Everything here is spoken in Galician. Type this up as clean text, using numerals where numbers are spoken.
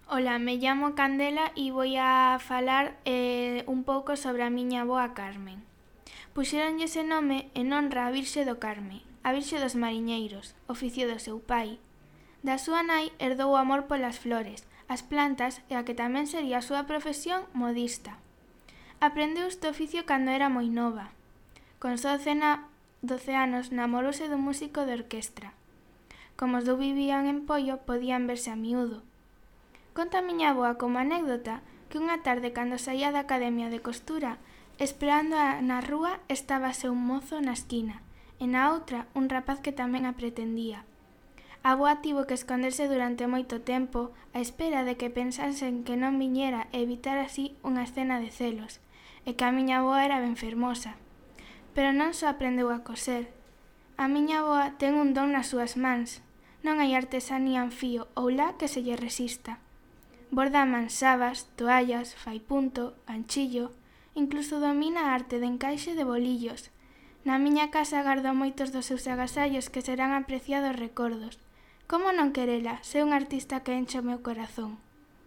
Hola, me llamo Candela e vou a falar un pouco sobre a miña avoa Carmen. Puxéronlle ese nome en honra á Virxe do Carme, a Virxe dos Mariñeiros, oficio do seu pai. Da súa nai herdou o amor polas flores, as plantas e a que tamén sería a súa profesión, modista. Aprendeu este oficio cando era moi nova. Con só 12 anos namorouse dun músico de orquestra. Como os dous vivían en Poio, podían verse a miúdo. Conta a miña avoa como anécdota que unha tarde cando saía da academia de costura, esperando na rúa estábase un mozo na esquina e na outra un rapaz que tamén a pretendía. A avoa tivo que esconderse durante moito tempo á espera de que pensasen que non viñera e evitar así unha escena de celos, e que a miña avoa era ben fermosa. Pero non só aprendeu a coser. A miña avoa ten un don nas súas mans. Non hai artesanía en fío ou lá que se lle resista. Borda mansabas, toallas, fai punto, ganchillo, incluso domina a arte de encaixe de bolillos. Na miña casa gardo moitos dos seus agasallos que serán apreciados recordos. Como non querela, ser un artista que enche o meu corazón?